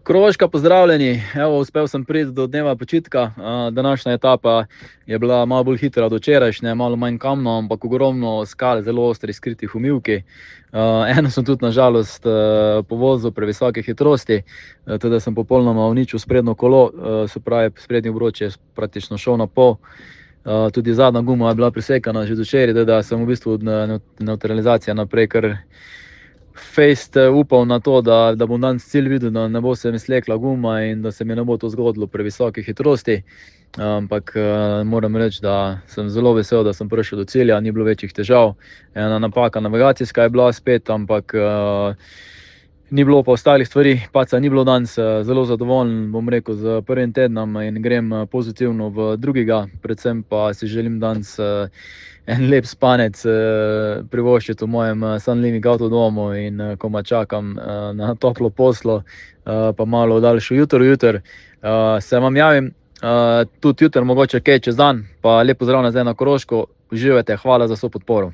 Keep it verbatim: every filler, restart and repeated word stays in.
Koroška, pozdravljeni. Evo, uspel sem priti do dneva počitka. Današnja etapa je bila malo bolj hitra od včerajšnje, malo manj kamno, ampak ogromno skal, zelo ostri, skritih v mivki. Eno sem tudi na žalost povozil pri visoke hitrosti, teda sem popolnoma uničil sprednjo kolo, se pravi, sprednji obroč je praktično šel na pol. Tudi zadnja guma je bila prisekana že včeraj, teda sem v bistvu od nevtralizacije naprej kar fejst upal na to, da, da bom danes cilj videl, da ne bo se mi slekla guma in da se mi ne bo to zgodilo pri visoki hitrosti. Ampak moram reči, da sem zelo vesel, da sem prišel do cilja, ni bilo večjih težav. Ena napaka navigacijska je bila spet, ampak ni bilo pa ostalih stvari. Paca ni bilo danes, zelo zadovoljen, bom rekel, z prvim tednom in grem pozitivno v drugega. Predvsem pa si želim danes en lep spanec privoščiti v mojem Sun Living avtodomu in komaj čakam na toplo poslo, pa malo daljšo jutro jutr. Se vam javim tudi jutr, mogoče kaj čez dan, pa lep pozdrav nazaj na Koroško. Uživajte, hvala za vso podporo.